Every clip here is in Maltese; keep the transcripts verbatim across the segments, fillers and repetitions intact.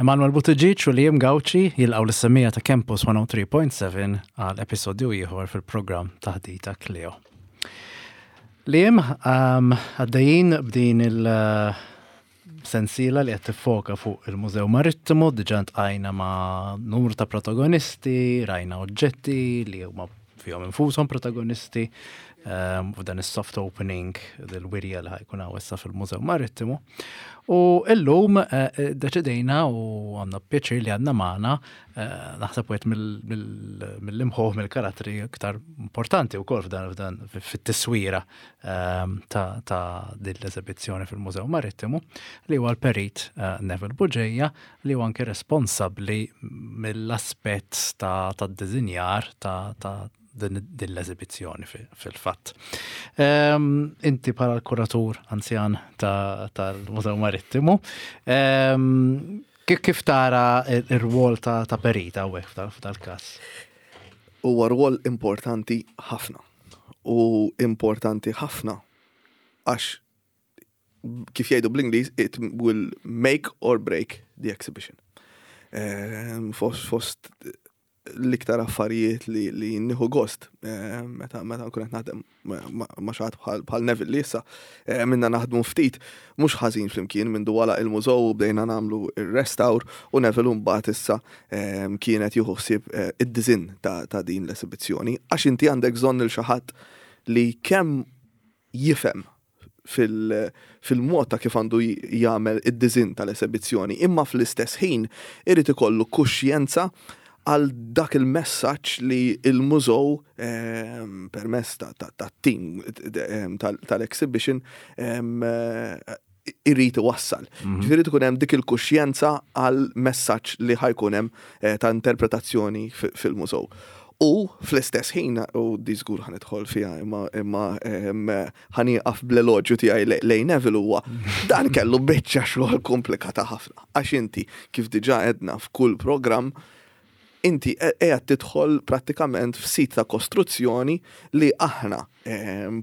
Emanuel Buttigieg u Liam Gauci jilqgħu lis-semmiegħa ta' Campus mija u tlieta punt seba' għal episodju ieħor fil-programm Taħdita Cleo. Liam, um, għaddejjin b'din il- uh, sensiela li qed tiffoka fuq il-Mużew Marittimu, diġà ltqajna ma' numru ta' protagonisti, rajna oġġetti li huma fihom infushom protagonisti, um, f'dan is-soft opening del-wirja li ħa jkun hawn issa fil-Mużew Marittimu. U illum uh, deċidejna u għandna pjaċir li għandna magħna uh, naħseb wieħed mill-imħuħ, mill-karattri iktar importanti wkoll f'dan f'dan fit-tiswira um, ta', ta din l-eżibizzjoni fil-Mużew Marittimu, li huwa l-perit uh, Neville Bugeja, li huwa anke responsabbli mill-aspett ta' ta' dizinjar ta' ta' din din l-eżibizzjoni fil-fatt. Um, inti bħala l-kuratur anzjan tal-Mużew Marittimu, um, kif, kif tara ir-rwol ta', ta' perita hawnhekk f'dal-każ? Huwa rwol importanti ħafna. U importanti ħafna għax, kif jgħidu bl-Ingliż, it will make or break the exhibition. Um, fost, fost l-iktar affarijiet li, li nieħu gost eh, meta meta nkun qed naħdem ma' xi ħadd bħal bħal Neville, li issa eh, minna naħdmu ftit mhux ħażin flimkien minn wara il-mużew u bdejna nagħmlu ir-restawr, u Neville mbagħad issa eh, kienet jieħu ħsieb id-design ta', ta' din l-esibizzjoni, għax inti għandek bżonn il xi ħadd li kemm jifhem fil-mod ta' kif għandu jagħmel id-design tal-esibizzjoni, imma fl-istess ħin irid ikollu kuxjenza għal dak il-messaġġ li il-mużew eh, permezz ta' team tal-exhibition eh, irrid iwassal. Mhm. Ġifieri tkun hemm dik il-kuxjenza għal messaġġ li ħa jkun hemm eh, ta' interpretazzjoni fil-mużew. U fl-istess ħin, u di żgur ħa nidħol fiha, imma imma ħa nieqaf bl-eloġju tiegħi lejn Neville, huwa dan kellu biċċa xogħol komplikata ħafna. Għax inti, kif diġà għedna f'kull programm, inti qiegħed tidħol prattikament f'sit ta' kostruzzjoni li aħna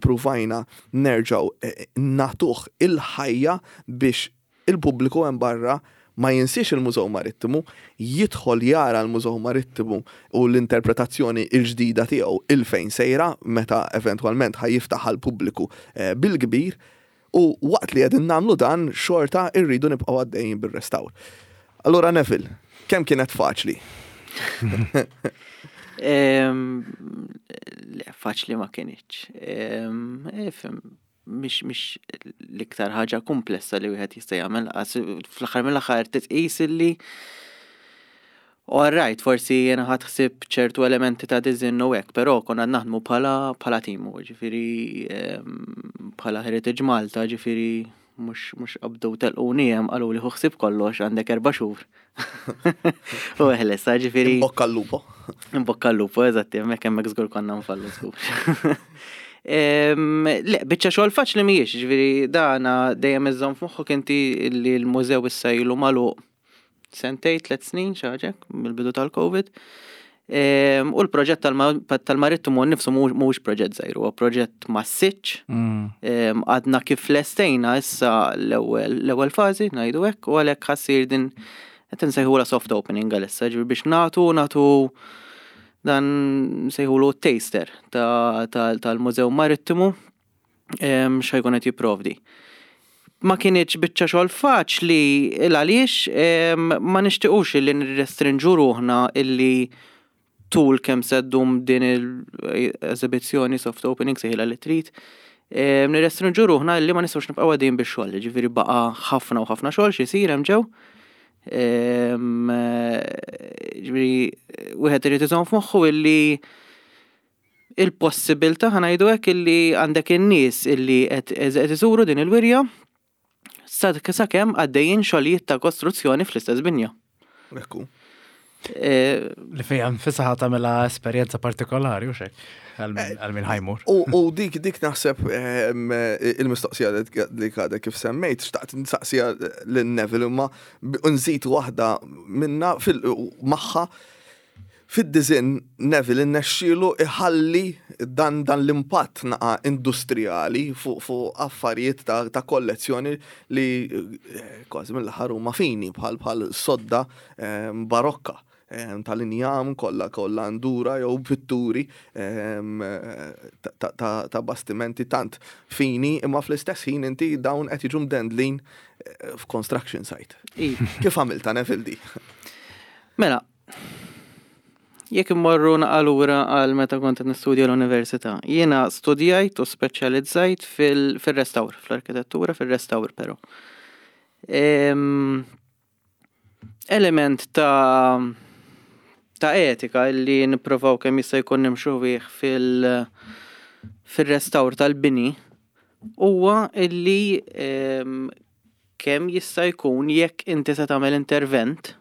pruvajna nerġgħu eh, nagħtuh il-ħajja biex il-pubbliku hemm barra ma jinsiex il-Mużew Marittimu, jidħol jara l-Mużew Marittimu u l-interpretazzjoni il-ġdida tiegħu 'il fejn sejra meta eventwalment ħa jiftaħ għall-pubbliku eh, bil-kbir, u waqt li qegħdin nagħmlu dan xorta irridu nibqgħu għaddejjin bir-restawr. Allura Neville, kemm kienet faċli? Le, faċli ma kinitx. Ifhem, mhix mhix l-iktar ħaġa komplessa li wieħed jista' jagħmel, fl-aħħar mill-aħħar titqis illi, all right, forsi jena ħadt ħsieb ċertu elementi ta' design u hekk, però konna naħdmu bħala bħala team, ġifieri bħala Heritage Malta, ġifieri mhux mhux qabdu telquni hemm, qalu li ħu ħsieb kollox, għandek erba' xhur. U eħles, ġifieri. Bocca al lupo. Bocca al lupo, eżatti, hemmhekk hemmhekk żgur konna nfallu żgur. Le, biċċa xogħol faċli mhijiex, ġifieri dana dejjem iżżomm f'moħħok inti li l-mużew issa ilu magħluq sentejn, tliet snin, xi ħaġa, mill-bidu tal-Covid. U l-proġett tal-Marittimu nnifsu mhuwiex proġett żgħir, huwa proġett massiċ. Mm. Għadna kif lestejna issa l-ewwel fażi, ngħidu hekk, u għalhekk ħa ssir din qed insejħula soft opening għalissa, ġifieri biex nagħtu nagħtu dan nsejħulu taster tal-Mużew Marittimu x'ħa jkun qed jipprovdi. Ma kinitx biċċa xogħol faċli il għaliex ma nixtiequx li nirrestrinġu ruħna illi tul kemm se ddum din l-eżibizzjoni, soft opening, sejħilha li trid. Nirrestrinġu ruħna illi ma nistgħux nibqgħu għaddejjin bix-xogħol, ġifieri baqa' ħafna u ħafna xogħol xi jsir hemm ġew. Ġifieri wieħed irid iżomm f'moħħu illi il-possibilità, ħa ngħidu hekk, illi għandek in-nies illi qed iżuru din il-wirja sakemm għaddejjin xogħlijiet ta' kostruzzjoni fl-istess binja. Ekku. Li fija nfisha ħa tagħmilha esperjenza partikolari u xek, għal min ħa jmur. U dik dik naħseb il-mistoqsija li għadek kif semmejt, xtaqt nsaqsija lil Neville, imma nżid waħda minna magħha. Fid-design Neville innexxielu iħalli dan, dan l-impatt naqa industrijali fuq fu affarijiet ta', ta' kollezzjoni li eh, kważi mill-aħħar huma fini bħal bħal sodda eh, barokka eh, tal-injam kollha kollha ndura jew pitturi em, ta', ta, ta, ta' bastimenti tant fini, imma fl-istess ħin inti dawn qed jiġu mdendlin eh, f'construction site. Iva. Kif għamilta, Neville, di? Mela, jekk immorru lura għal meta kont qed nistudja l-università, jiena studjajt u speċjalizzajt fil- fil-restawr, fl-arkitettura, fil-restawr però. Em, element ta' ta' etika illi nipprovaw kemm jista' jkun nimxu bih fil- fil-restawr tal-bini huwa illi em, kemm jista' jkun jekk inti se tagħmel intervent,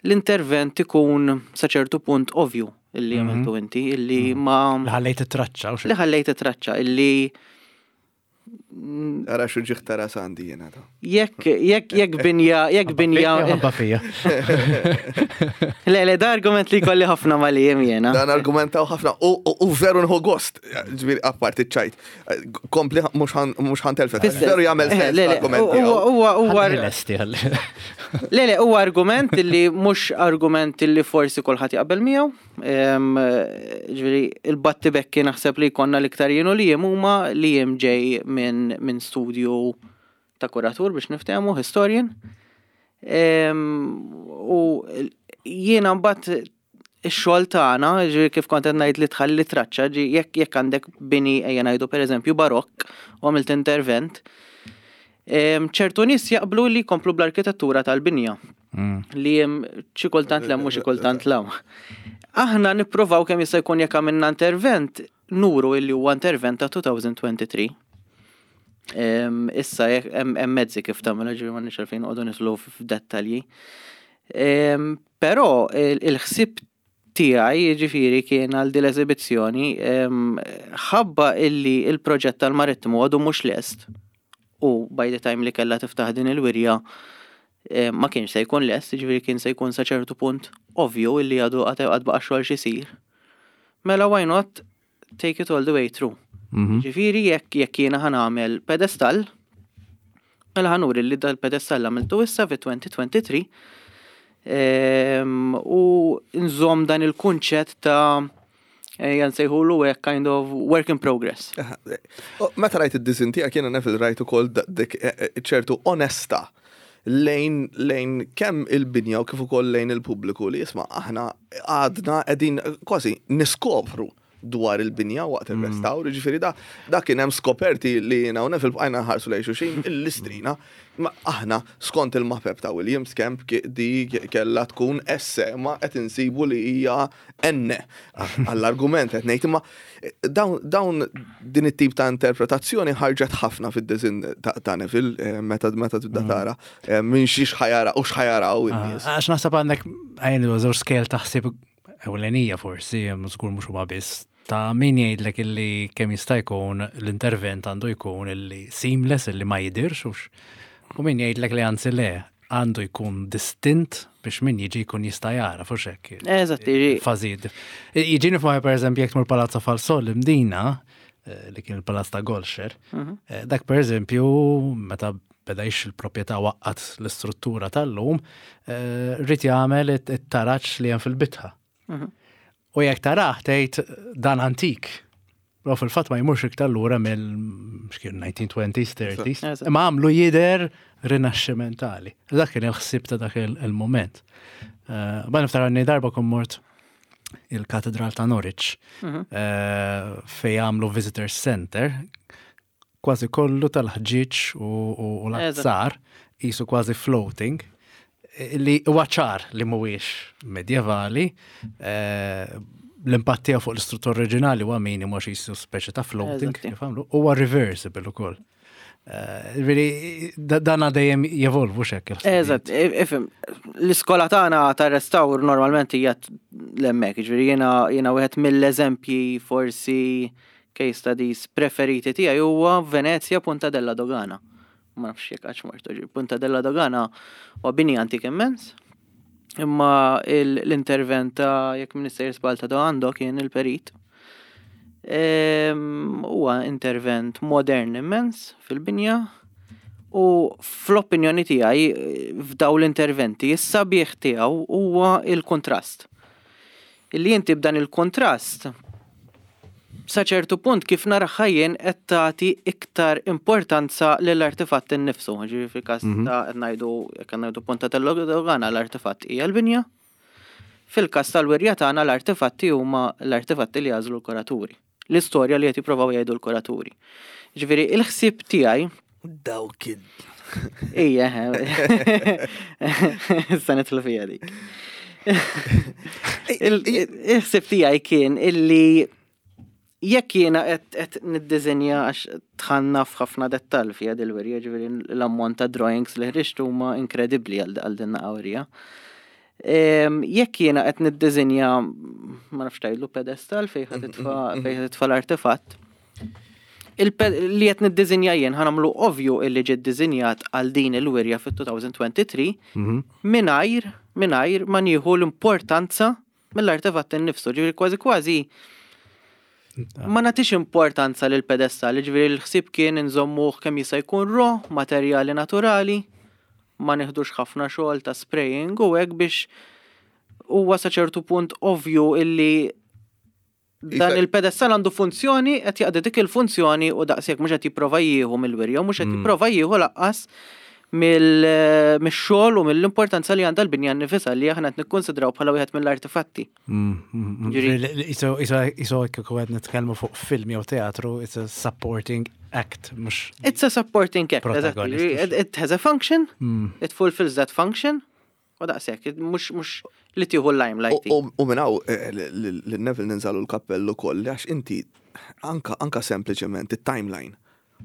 l-intervent ikun sa ċertu punt ovvju illi Mhm. għamiltu inti, illi ma Li ħallejt it-traċċa u li ħallejt it-traċċa, illi Ara xu ġiħ tara sandi jena ta. jekk jekk jekk binja jekk binja Ħabba fija. Le, le, da argument li kolli ħafna ma li jem jena. Dan argumentaw ħafna u, u, u veru nħu gost, ġifieri apparti ċajt. Kompli mhux ħa ntelfek. Veru jagħmel Eh, sens le, le, l-argument huwa tiegħu. huwa huwa Ħalli lesti ħalli. Le, le, huwa argument li mhux argument li forsi kulħadd jaqbel miegħu. Em, Ġifieri il-battibekki naħseb li jkollna l-iktar jienu li jem huma li jem ġej minn min studju ta' kuratur biex niftehmu, historian. Em, U jiena mbagħad ix-xogħol tagħna, ġifieri kif kont qed ngħid li tħalli traċċa, ġi jekk jekk għandek bini, ejja ngħidu pereżempju barokk, u għamilt intervent, em, ċertu nies jaqblu li jkomplu bl-arkitettura tal-binja Mm. li jem xi kultant l u xi kultant l Aħna nipprovaw kemm jista' jkun jekk għamilna intervent, nuru illi huwa intervent ta' elfejn u tlieta u għoxrin. Em, Issa jekk hemm hemm mezzi kif tagħmel, ġifieri m'għandniex għalfejn noqogħdu nidħlu f'dettalji. Em, Però il- il-ħsieb tiegħi ġifieri kien għal din l-eżibizzjoni em, ħabba illi il-proġett tal-marittimu għadu mhux lest u by the time li kellha tiftaħ din il-wirja eh, ma kienx se jkun lest, ġifieri kien se jkun sa ċertu punt ovvju illi għadu għad għad baqa' xogħol xisir. Mela why not take it all the way through? Mhm. Ġifieri jekk jekk jiena ħa nagħmel pedestall, mela ħa nuri li dal-pedestall għamiltu issa fi elfejn u tlieta u għoxrin em, u nżomm dan il-kunċett ta' ejja nsejħulu hekk kind of work in progress. Oh, meta rajt id-design tiegħek jiena, Neville, rajt ukoll da- dik eh, eh, ċertu onesta lejn lejn kemm il-binja u kif ukoll lejn il-pubbliku li jisma' aħna għadna qegħdin kważi niskopru dwar il-binja waqt il-restawr, ġifieri da da kien hemm skoperti li jiena u Neville bqajna nħarsu lejn xulxin il-listrina. Ma aħna skont il-mapep ta' Williams Kemp ki- di kella tkun S, ma qed insibu li hija N. Għall-argument qed ngħid, imma dawn dawn din it-tip ta' interpretazzjoni ħarġet ħafna fid-design ta' ta' Neville eh, meta meta tibda tara eh, minn xiex ħa jara u x'ħa jaraw in-nies. Għax naħseb għandek għajn żewġ scale taħsib ewlenija forsi, żgur mhux huma biss, ta' min jgħidlek illi kemm jista' jkun l-intervent għandu jkun illi seamless, illi ma jidirx ux. U min jgħidlek li anzi le, għandu jkun distint biex min jiġi jkun jista' jara fuq hekk. Eżatt, jiġi- Fażid. Jiġini f'moħħi per eżempju jekk tmur Palazzo Falsol l-Imdina, eh, li kien il-Palazz ta' Golxer, eh, dak per eżempju meta beda jixtri il-proprjetà waqqat l-istruttura tal-lum, eh, ried jagħmel it-taraġ li hemm fil-bitħa. U jekk tarah tgħid dan antik. Però fil-fatt ma jmurx iktar lura mill x'kien nineteen twenties, thirties. Eżatt. Imma għamlu jider rinaxximentali. Dak kien il-ħsieb ta' dak il- il-moment. Eh, Ba niftakar għanni darba kon mort il-Katedral ta' Norwich eh, fej għamlu Visitor Center kważi kollu tal-ħġieġ u, u, u l-azzar jisu kważi floating li huwa ċar li mhuwiex medjevali, eh, l-impatt tiegħu fuq l-istruttura oriġinali huwa minimu għax jisu speċi ta' floating Eżatti. kif għamlu, huwa reversible ukoll. Eh, Ġifieri, da- dan dejjem jevolvu xekk. Eżatt, ifhem, l-iskola tagħna ta' restawr normalment hija l-hemmhekk, ġifieri jiena jiena wieħed mill-eżempji forsi case studies preferiti tiegħi huwa Venezia, Punta della Dogana. Ma nafx jekk għax mortu, ġifieri Punta della Dogana huwa bini antik immens. Imma l-intervent ta', jekk m'iniex sejjer żball, ta' għando kien il-perit. Huwa intervent modern immens fil-binja u fl-opinjoni tiegħi f'daw l-interventi is-sabiħ tiegħu huwa il-kontrast. Illi inti b'dan il-kontrast sa ċertu punt, kif naraha jien, qed tagħti iktar importanza lill-artifatt innifsu. Ġifieri fil-każ mhm. ta' qed ngħidu, jekk ngħidu Ponta tal-Dogana, l-artifatt hija l-binja. Fil-każ tal-wirja tagħna l-artifatti huma l-artifatti li għażlu l-kuraturi. L-istorja li qed jippruvaw jgħidu l-kuraturi. Ġifieri il-ħsieb tiegħi Dawk. Ija, issa nidħlu fija dik. Il-ħsieb tiegħi kien illi jekk jiena qed niddiżinja, għax dħalna f'ħafna dettall fiha dil-wirja, ġifieri l-ammont ta' drawings li ħriġt huma inkredibbli għal din wirja. Jekk jiena qed niddiżinja, ma nafx tgħidlu pedestal, fejn ħa titfa' l-artefatt, li qed niddiżinja jien ħa nagħmlu ovvju illi ġie ddiżinjat għal din il-wirja fit-elfejn u tlieta u għoxrin mhm. mingħajr mingħajr ma nieħu l-importanza mill-artefatt innifsu. Ġifieri kważi kważi ma nagħtix importanza lil pedestal, ġifieri l-ħsieb kien nżommuh kemm jista' jkun raw, materjali naturali, ma nieħdux ħafna xogħol ta' spraying u hekk, biex huwa sa ċertu punt ovvju illi dan il-pedestal għandu funzjoni, qed jaqdi dik il-funzjoni u daqshekk, mhux qed jipprova jieħu mill-wirja, mhux qed mm. jipprova jieħu lanqas mill-xogħol u mill-importanza li għandha l-binja nnifisha, li aħna qed nikkonsidraw bħala wieħed mill-artifatti. Iso kieku qed nitkellmu fuq film jew teatru, it's a supporting act, mhux. It's a supporting act, exactly. It, it has a function, mm. it fulfills that function, u daqshekk, mhux mhux li tieħu l-limelight. U minn hawn eh, l-Neville ninżagħlu l-kappellu koll, għax inti anka anka sempliċement it-timeline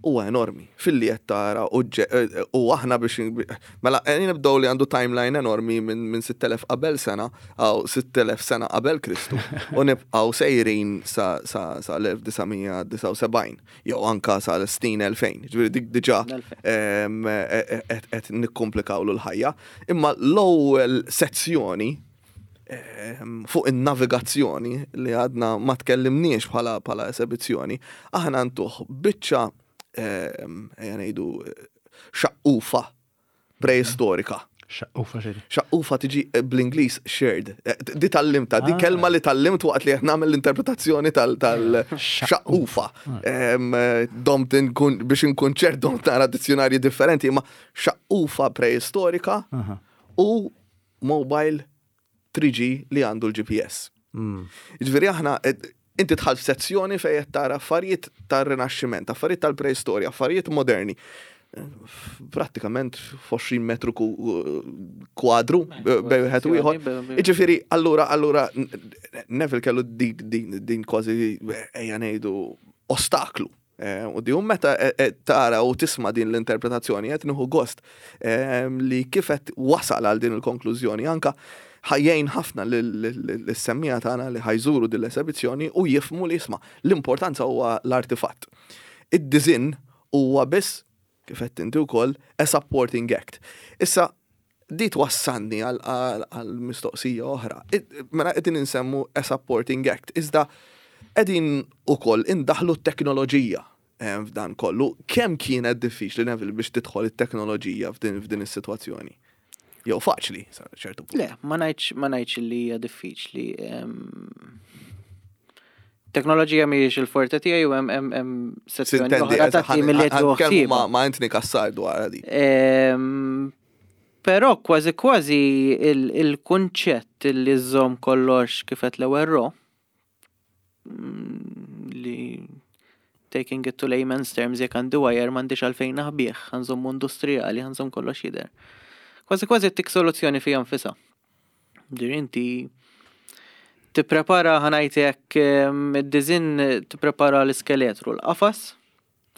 huwa enormi. Filli qed tara u u aħna biex mela nibdew li għandu timeline enormi minn min sitt elef qabel sena aw sitt elef sena qabel Kristu u nibqgħu sejrin sa sa sa elf disa' mija disgħa u sebgħin jew anka sa l-snin elfejn. Ġifieri dik diġà qed nikkomplikawlu l-ħajja. Imma l-ewwel sezzjoni fuq in-navigazzjoni li għadna ma tkellimniex bħala bħala esebizzjoni, aħna ntuh biċċa, ejja ngħidu, xaqqufa preistorika. Xaqqufa xejn? Xaqqufa tiġi bl-Ingliż sherd. Di tgħallimtha, di kelma li tgħallimt waqt li nagħmel l-interpretazzjoni tal-xaqqufa. Domt biex inkun ċert, domt nara dizzjonarji differenti, ma xaqqufa preistorika u mobile three G li għandu l-G P S. Ġifieri aħna inti dħalt f'sezzjoni fejn qed tara affarijiet tar-Rinaxximent, affarijiet tal-preistorja, affarijiet moderni. Prattikament f'għoxrin metru kwadru bejn wieħed u ieħor. Jiġifieri, allura allura Neville kellu din din kważi, ejja ngħidu, ostaklu. U di meta tara u tisma' din l-interpretazzjoni, qed nieħu gost li kif qed wasal għal din il-konklużjoni, anka ħa jgħin ħafna lis-semmiegħa tagħna li ħa jżuru din l-esebizzjoni u jifhmu li jisma' l-importanza huwa l-artifatt. Id-design huwa biss, kif qed inti wkoll, a supporting act. Issa di twassalni għal mistoqsija oħra. Mela qegħdin insemmu a supporting act, iżda qegħdin ukoll indaħlu t-teknoloġija f'dan kollu. Kemm kienet diffiċli, Neville, biex tidħol it-teknoloġija f'din is-sitwazzjoni? Jew faċli, ċertu punt? Le, ma ngħidx ma ngħidx li hija diffiċli. Teknoloġija mhijiex il-forte tiegħi u hemm hemm sezzjoni oħra ta' tim li qed ma' Anthony Cassar dwar di. Però kważi kważi il-kunċett li żżomm kollox, kif qed l-ewwel raw, mm, li taking it to layman's terms, jekk għandi wire m'għandix għalfejn naħbih, ħa nżommu industrijali, ħa nżomm kollox jidher. Kważi kważi tik soluzzjoni fija nfisha. Dir inti tipprepara, ħa ngħidlek, id-design tipprepara l-iskeletru, l-qafas,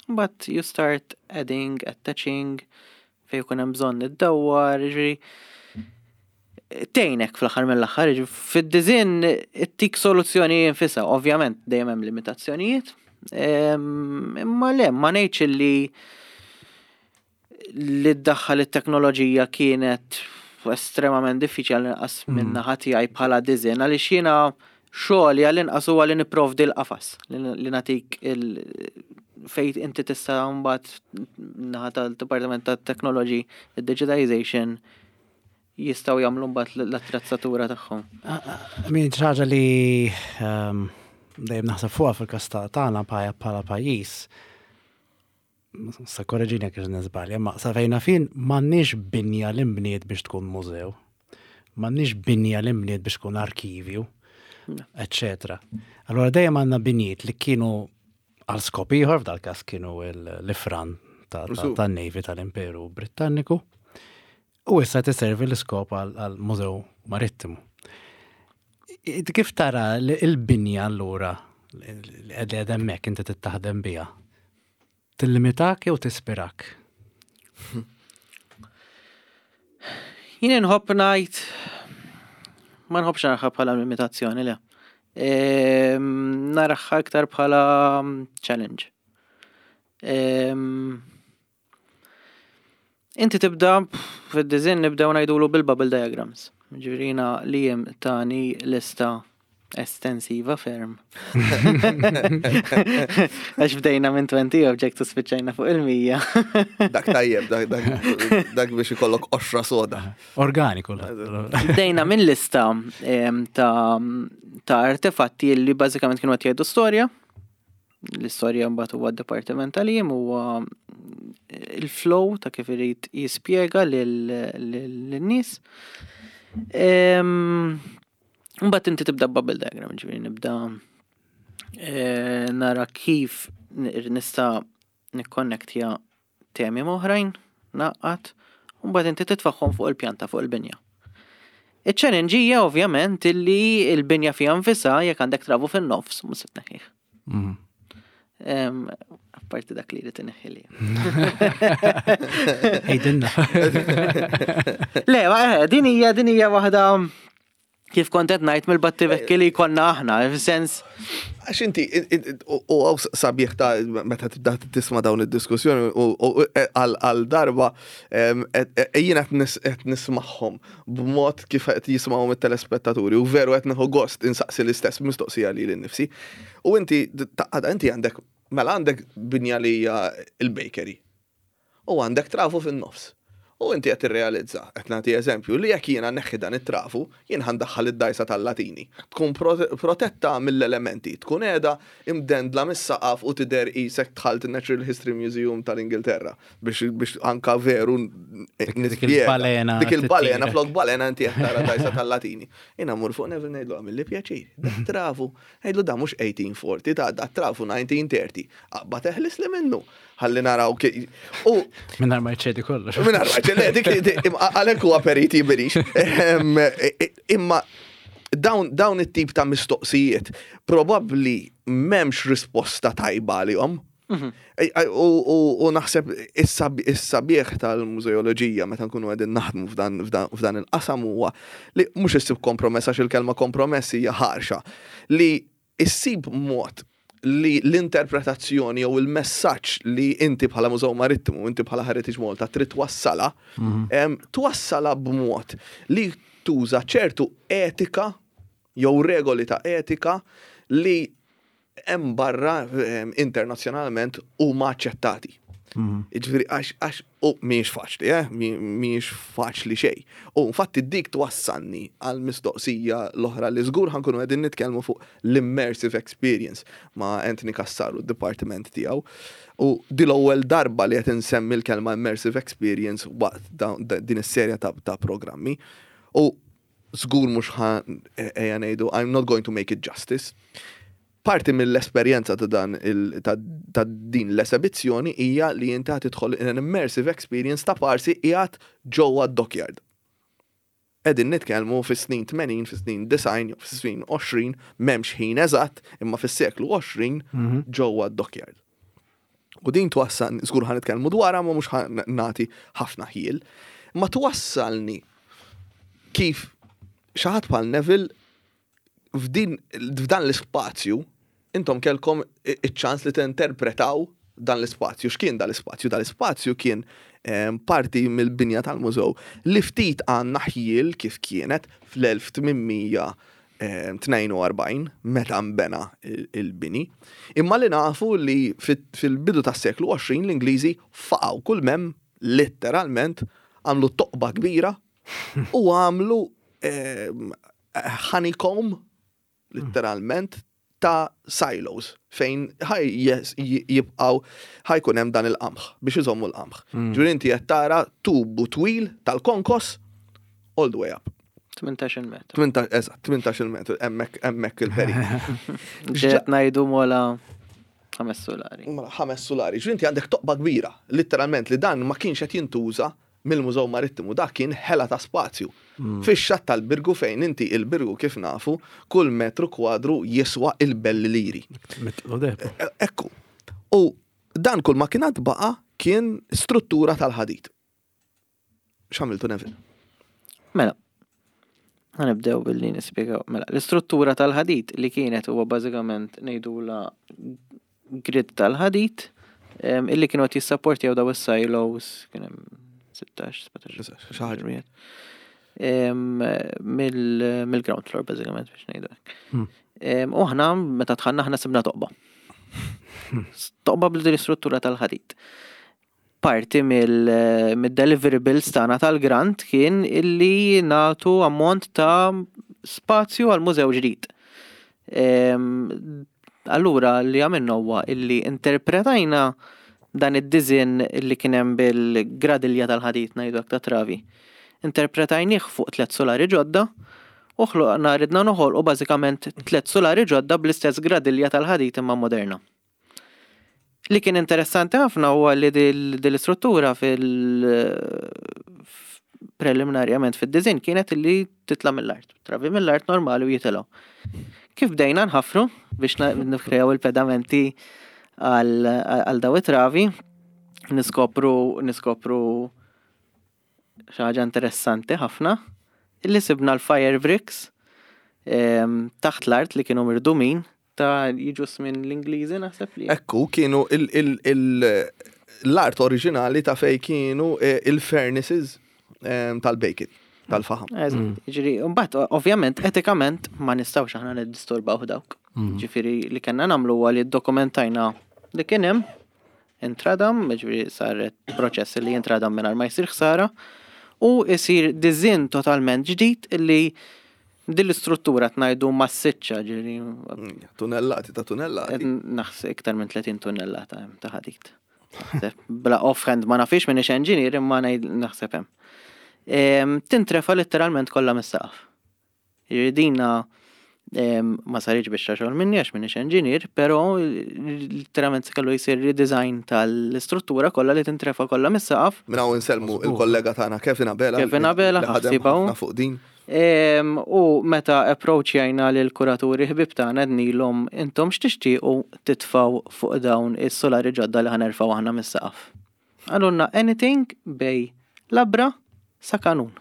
but you start adding, attaching, fej jkun hemm bżonn iddawwar, ġifieri tgħinek fl-aħħar mill-aħħar, fid-design ittik soluzzjoni nfisha, ovvjament dejjem hemm limitazzjonijiet, imma le, ma ngħidx li li ddaħħal it-teknoloġija kienet estremament diffiċli, għall-inqas minn naħa tiegħi bħala design, għaliex jiena xogħli għall-inqas huwa li nipprovdi l-qafas, li li nagħtik il fejn inti tista' mbagħad naħa tal-Dipartiment tat-Technology, id-digitization, jistgħu jagħmlu mbagħad l-attrezzatura tagħhom. Min ħaġa li ehm, dejjem naħseb fuqha fil-każ tagħna bħala pajjiż, sa korreġini jekk niżbalja, ma sa fejna fin m'għandniex binja li nbniet biex tkun mużew, m'għandniex binja li nbniet biex tkun arkivju, eccetera. Allora dejjem għandna binjiet li kienu għal skop ieħor, f'dal każ kienu l-ifran tan-Navy tal-Imperu Britanniku, u issa tiservi l-iskop għal mużew marittimu. Kif tara l-binja allura li qed hemmhekk inti tittaħdem biha? Tillimitak jew tispirak? Jien nħobb ngħid ma nħobbx naraha bħala limitazzjoni, le. Ehm, naraha iktar bħala challenge. Ehm, inti tibda fid-design, nibdew ngħidulu bil-bubble diagrams. Ġifieri li jem tani lista estensiva ferm. Għax bdejna minn twenty objects u spiċċajna fuq il-mija. Dak tajjeb, dak, dak, dak biex ikollok qoxra soda. Organiku. Bdejna minn lista em, ta' ta' artefatti li bażikament kienu qed jgħidu storja. L-istorja mbagħad huwa d-dipartiment tal-jiem, huwa il-flow ta' kif irid jispjega lin-nies. Em, Mbagħad inti tibda bubble diagram, ġifieri nibda eh, nara kif nista' nikkonnektja temi oħrajn, naqqat, u mbagħad inti titfaħħom fuq il-pjanta, fuq il-binja. Iċ-challenge hija ovvjament illi l-binja fiha nfisha, jekk għandek travu fin-nofs, mhux se tneħħih. Mhm. Em, Apparti dak li jrid ineħħi li. Ejdinna. Le, ma, eh, din hija din hija waħda, kif kont qed ngħid, mill-battibekki li konna aħna, fis-sens Għax inti, u għaw sabiħ ta' meta tibda tisma' dawn id-diskussjoni u għal darba jiena qed nismagħhom b'mod kif qed jismgħuhom it-telespettaturi u veru qed nieħu gost insaqsi l-istess mistoqsija lili nnifsi. U inti taqgħad, inti għandek, mela, għandek binja li hija il-bakery. U għandek trafu fin-nofs. U inti qed tirrealizza, qed nagħti eżempju, li jekk jiena neħħi dan it-trafu, jien ħa ndaħħal id-dajsa tal-Latini. Tkun protetta mill-elementi, tkun qiegħda imdendla mis-saqaf u tidher qisek dħalt il-Natural History Museum tal-Ingilterra biex biex anka veru Dik il-balena. Dik il-balena, flok balena inti qed tara dajsa tal-Latini. Jiena mmur fuq Neville ngħidlu: "Għamilli pjaċir, da trafu." Ngħidlu: "Da mhux eighteen forty, ta' da trafu nineteen thirty. Aqbad eħlis li minnu. Ħalli naraw." U Mingħajr ma jċedi kollox. Mingħajr ma jċedi, dik għalhekk huwa periti birix. Imma dawn dawn it-tip ta' mistoqsijiet probabbli m'hemmx risposta tajba għalihom. U naħseb is-sabiħ tal-mużeoloġija meta nkunu qegħdin naħdmu f'dan il-qasam huwa li mhux issib kompromess, għax il-kelma kompromess hija ħarxa, li issib mod li l-interpretazzjoni jew il-messaġġ li inti bħala Mużew Marittimu, inti bħala Heritage Malta trid twassala, twassala b'mod li tuża ċertu etika jew regoli ta' etika li hemm barra internazzjonalment huma aċċettati. Ġifieri għax għax u mhijiex faċli, eh? Mhijiex faċli xejn. U infatti dik twassalni għal mistoqsija l-oħra li żgur ħa nkunu qegħdin nitkellmu fuq l-immersive experience ma' Anthony Cassar u d-dipartiment tiegħu. U di l-ewwel darba li qed insemmi l-kelma immersive experience waqt din is-serja ta', ta programmi. U żgur mhux ħa ejja ngħidu, I'm not going to make it justice. Parti mill-esperjenza ta' dan ta' din l-esebizzjoni hija li inti tidħol in an immersive experience ta' parsi qiegħed ġewwa dockyard. Qegħdin nitkellmu fis-snin tmenin, fis-snin disgħin, fis-snin għoxrin, m'hemmx ħin eżatt, imma fis-seklu għoxrin mhm. ġewwa dockyard. U din twassal, żgur ħa nitkellmu dwarha, ma mhux nagħti ħafna ħjiel, ma twassalni kif xi ħadd bħal Neville f'din f'dan l-ispazju intom kelkom iċ-ċans li tinterpretaw dan l-ispazju. X'kien dan l-ispazju? Dan l-ispazju kien em, parti mill-binja tal-mużew li ftit għandna ħjiel kif kienet fl-elf tmien mija tnejn u erbgħin meta nbena il- il-bini. Imma li nafu li fil-bidu tas-seklu għoxrin l-Ingliżi faqgħu kull m'hemm, letteralment għamlu toqba kbira u għamlu em, honeycomb letteralment ta' silos fejn ħaj jes- jibqaw ħa jkun hemm dan il-qamħ biex iżommu l-qamħ. Ġifieri inti qed tara tubu twil tal-konkos all the way up. tmintax-il metru. tmintax, eżatt, tmintax-il metru, hemmhekk hemmhekk il-peri. Ġiet ngħidu mola ħames solari. Mela, ħames solari. Ġifieri inti għandek toqba kbira, letteralment, li dan ma kienx qed jintuża mill-Mużew Marittimu, dak kien ħela ta' spazju. Fix-xatt tal-Birgu, fejn inti il-Birgu, kif nafu, kull metru kwadru jiswa il-belli liri. Mitlu deb. E- Ekku. U dan kull ma kienet baqa kien struttura tal-ħadid. X'għamiltu, Neville? Mela, ħa nibdew billi nispjegaw. Mela, l-istruttura tal-ħadid li kienet huwa bażikament ngħidula grid tal-ħadid em, illi kienu qed jissapportjaw daw is-silos, kien hemm sittax, sbatax, Xi ħaġa. Em, mill- mill-ground floor bażikament, biex ngħidu hekk. Hmm. Em, U aħna meta dħalna, aħna sibna toqba. Toqba bl istruttura tal-ħadid. Parti mill- mid-deliverables tagħna tal-grant kien illi nagħtu ammont ta' spazju għal mużew ġdid. Em, Allura li għamilna huwa illi interpretajna dan id-design illi kien hemm bil-gradilja tal-ħadid, ngħidu hekk, ta' travi. Interpretajnih fuq tliet solari ġodda u ħloqna, ridna noħolqu bażikament tliet solari ġodda bl-istess gradilja tal-ħadid imma moderna. Li kien interessanti ħafna huwa li dil- dil-istruttura fil preliminarjament fid-design kienet li titla' mill-art. Travi mill-art normali u jitilgħu. Kif bdejna nħafru biex na- nikrejaw il-pedamenti għal għal daw it-travi, niskopru niskopru xi ħaġa interessanti ħafna, illi sibna l-fire bricks em, taħt l-art li kienu mirdumin ta' jiġu minn l-Ingliżi, naħseb li. Ekku, kienu il- il- il- l-art oriġinali ta' fej kienu eh, il-furnaces em, tal-bacon, tal-faħam. Eżatt, ġifieri, mbagħad ovvjament etikament ma nistgħux aħna niddisturbaw dawk. Ġifieri li kellna nagħmlu huwa li ddokumentajna li kien hemm intradam, ġifieri saret proċess li jintradam mingħajr ma jsir ħsara u jsir design totalment ġdid li din l-istruttura tnajdu massiċċa, ġifieri Mm, Tunnellati ta' tunnellati. naħseb iktar minn tletin tunnellata hemm ta' ħadid. Naħseb, bla offhand ma nafix, m'iniex engineer, imma ngħid naħseb hemm. Em, Tintrefa letteralment kollha mis-saqaf. Jiġifieri dina em, ma saritx biex xogħol minni għax m'iniex engineer, però letteralment se kellu jsir redesign tal-istruttura kollha li tintrefa kollha mis-saqaf. Minn hawn insellmu il-kollega tagħna Kevin Abela. Kevin Abela, li ħadem ħsibaw. ħafna fuq din. Em, U meta approachjajna lil kuraturi ħbib tagħna, għednielhom, "Intom x'tixtiequ titfaw fuq dawn is-solari ġodda li ħa nerfgħu aħna mis-saqaf?" Qalulna anything bejn labra sa kanun.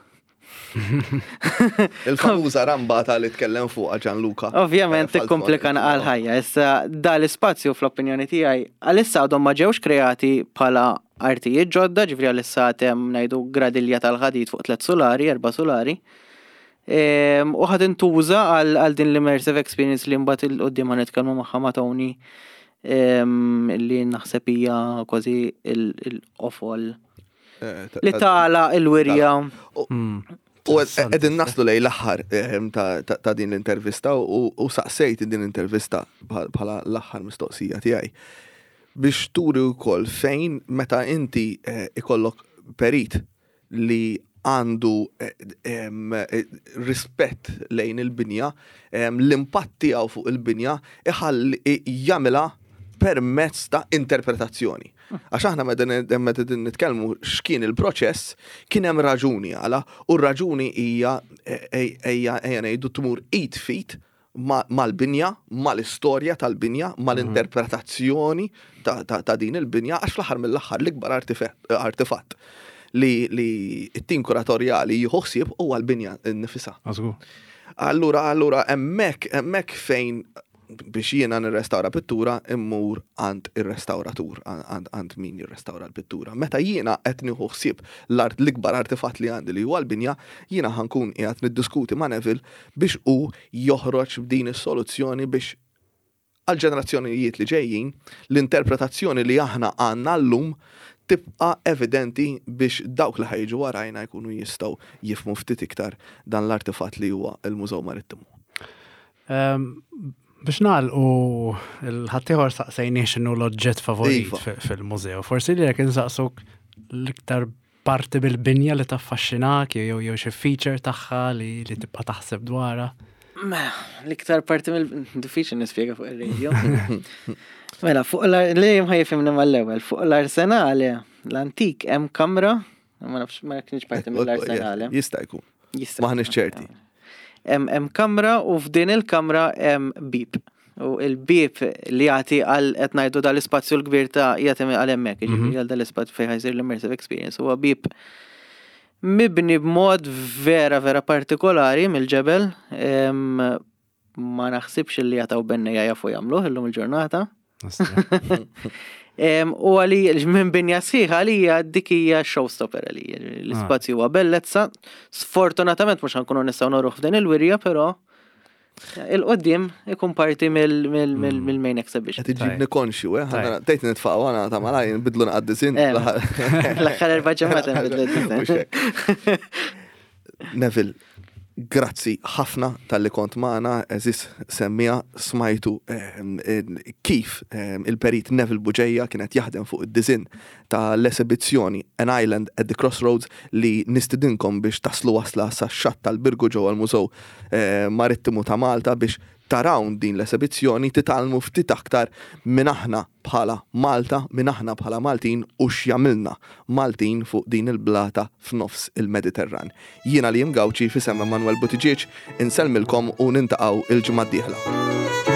Il-famuża rambata li tkellem fuqha Gianluca. Ovvjament Eh, ikkomplika għal ħajja. Issa da l-ispazju, fl-opinjoni tiegħi, għalissa għadhom ma ġewx kreati bħala artijiet ġodda, ġifieri għalissa hemm, ngħidu, gradilja tal-ħadid fuq tliet solari, erba' solari. Em, U ħad intuża għal għal din l-immersive experience li mbagħad 'il quddiem ħa nitkellmu magħha ma' Tony, em, li naħseb hija kważi il-qofol Eh, ta- li ta- tala il-wirja. U qegħdin naslu lejn l-aħħar ehm, ta' ta' ta' din l-intervista u u saqsejt din l-intervista bħal- bħala l-aħħar mistoqsija tiegħi biex turi wkoll fejn meta inti eh, ikollok perit li għandu eh, em, eh, rispett lejn il-binja, em, l-impatt tiegħu fuq il-binja iħalli jagħmilha permezz ta' interpretazzjoni. Għax aħna meta meta din nitkellmu x'kien il-proċess, kien hemm raġuni għala, u r-raġuni hija ejja ejja ngħidu tmur id f'id ma- mal-binja, mal-istorja tal-binja, mal-interpretazzjoni ta', ta, ta' din il-binja, għax fl-aħħar mill-aħħar l-ikbar artife- artefatt li, li t-tim kuratorjali jieħu ħsieb huwa l-binja nnifisha. Għażgur. Allura, allura, hemmhekk, hemmhekk fejn Biex jiena nirrestawra pittura, immur għand ir-restawratur, għand min jirrestawra l-pittura. Meta jiena qed nieħu ħsieb l-art l-ikbar artefatt li għandi, li huwa l-binja, jiena ħa nkun qiegħed niddiskuti ma' Neville biex hu joħroġ b'din is-soluzzjoni biex għal-ġenerazzjonijiet li ġejjin l-interpretazzjoni li aħna għandna llum tibqa evidenti, biex dawk li ħa jiġu warajna jkunu jistgħu jifhmu ftit iktar dan l-artefatt li huwa il-Mużew Marittimu. Biex nagħlqu, il-ħaddieħor saqsejnieh x'inhu l-oġġett favorit Iva. fil-mużew. Forsi li jekk insaqsuk l-iktar parti bil-binja li taffaxxinak jew jew xi feature tagħha li li tibqa' taħseb dwarha. Mela, l-iktar parti mill diffiċli nispjega fuq il-radio. Mela, fuq l li ħa jifhimni mal-ewwel, fuq l-arsenale, l-antik hemm kamra, ma nafx, ma kienx parti mill-arsenale. Jista' jkun. Jista' Maħniex ċerti. Hemm hemm kamra u f'din il-kamra hemm bib. U il-bib li jagħti għal qed ngħidu dal-ispazju l-kbir ta' jagħti għal hemmhekk, jiġifieri għal dal-ispazju fejn ħa jsir l-immersive experience. Huwa bib mibni b'mod vera vera partikolari mill-ġebel. em, Ma naħsibx li jataw bennejja jafu jagħmluh illum il-ġurnata. Em, U għali minn binja sħiħa għalija dik hija showstopper għalija. L-ispazju huwa bellezza. Sfortunatament mhux ħa nkunu nistgħu noruh f'din il-wirja, però il-qoddim ikun parti mill-main exhibition. Qed iġibni konxju, eh? Tajb. Tgħid nitfaqgħu għana ta' malaj nbidlu naqaddisin. Em, L-aħħar erba' ġimgħat nbidlu Mhux hekk. Neville, grazzi ħafna talli kont magħna, għeżież semmiegħa, smajtu ehm, eh, kif ehm, il-perit Neville Bugeja kienet jaħdem fuq id-disinn ta' l-esibizzjoni An Island at the Crossroads, li nistidinkom biex taslu wasla sa' xatt tal-Birgu ġewwa l-Mużew eh, Marittimu ta' Malta biex taraw din l-esibizzjoni, titgħallmu ftit aktar minn aħna bħala Malta, minn aħna bħala Maltin u x'jagħmilna Maltin fuq din il-blata f'nofs il-Mediterran. Jiena li Gawċi, f'isem Emanuel Buttigieg, insellmilkom u niltaqgħu il-ġimgħa d-dieħla.